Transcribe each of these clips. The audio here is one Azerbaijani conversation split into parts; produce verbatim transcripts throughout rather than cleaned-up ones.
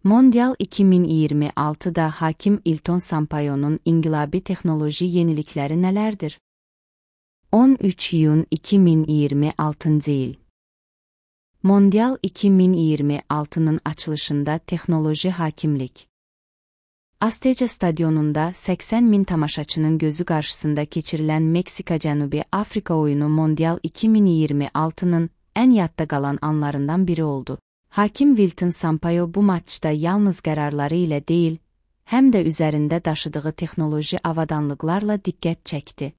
Mondial iki min iyirmi altıda hakim Elton Sampaio'nun inqilabi texnoloji yenilikləri nələrdir? on üç iyun iki min iyirmi altıncı il. Mondial iki min iyirmi altının açılışında texnoloji hakimlik. Azteca stadionunda səksən min tamaşaçının gözü qarşısında keçirilən Meksika-Cənubi Afrika oyunu Mondial iki min iyirmi altının ən yadda qalan anlarından biri oldu. Hakim Elton Sampaio bu maçda yalnız qərarları ilə deyil, həm də üzərində daşıdığı texnoloji avadanlıqlarla diqqət çəkdi.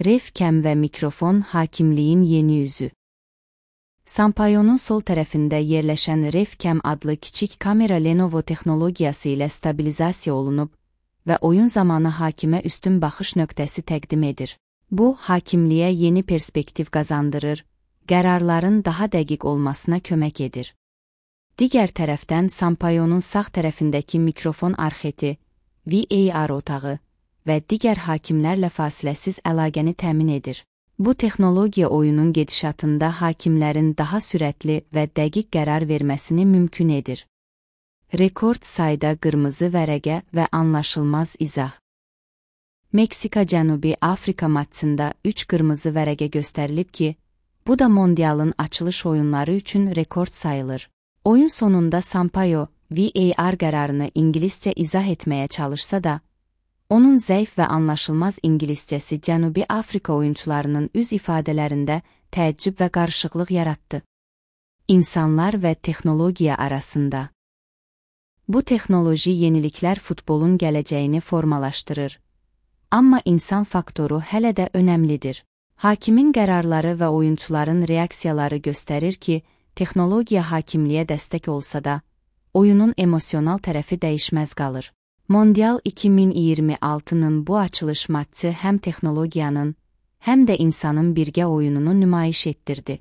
Ref-cam və mikrofon hakimliyin yeni üzü. Sampaio'nun sol tərəfində yerləşən Ref-cam adlı kiçik kamera Lenovo texnologiyası ilə stabilizasiya olunub və oyun zamanı hakimə üstün baxış nöqtəsi təqdim edir. Bu, hakimliyə yeni perspektiv qazandırır, qərarların daha dəqiq olmasına kömək edir. Digər tərəfdən Sampaio'nun sağ tərəfindəki mikrofon arxeti, V A R otağı və digər hakimlərlə fasiləsiz əlaqəni təmin edir. Bu texnologiya oyunun gedişatında hakimlərin daha sürətli və dəqiq qərar verməsini mümkün edir. Rekord sayda qırmızı vərəqə və anlaşılmaz izah. Meksika-Cənubi Afrika maçında üç qırmızı vərəqə göstərilib ki, bu da Mondialın açılış oyunları üçün rekord sayılır. Oyun sonunda Sampaio, V A R qərarını ingiliscə izah etməyə çalışsa da, onun zəif və anlaşılmaz ingiliscəsi Cənubi Afrika oyunçularının üz ifadələrində təəccüb və qarışıqlıq yaratdı. İnsanlar və texnologiya arasında. Bu texnoloji yeniliklər futbolun gələcəyini formalaşdırır. Amma insan faktoru hələ də önəmlidir. Hakimin qərarları və oyunçuların reaksiyaları göstərir ki, texnologiya hakimliyə dəstək olsa da, oyunun emosional tərəfi dəyişməz qalır. Mondial iki min iyirmi altının bu açılış maçı həm texnologiyanın, həm də insanın birgə oyununu nümayiş etdirdi.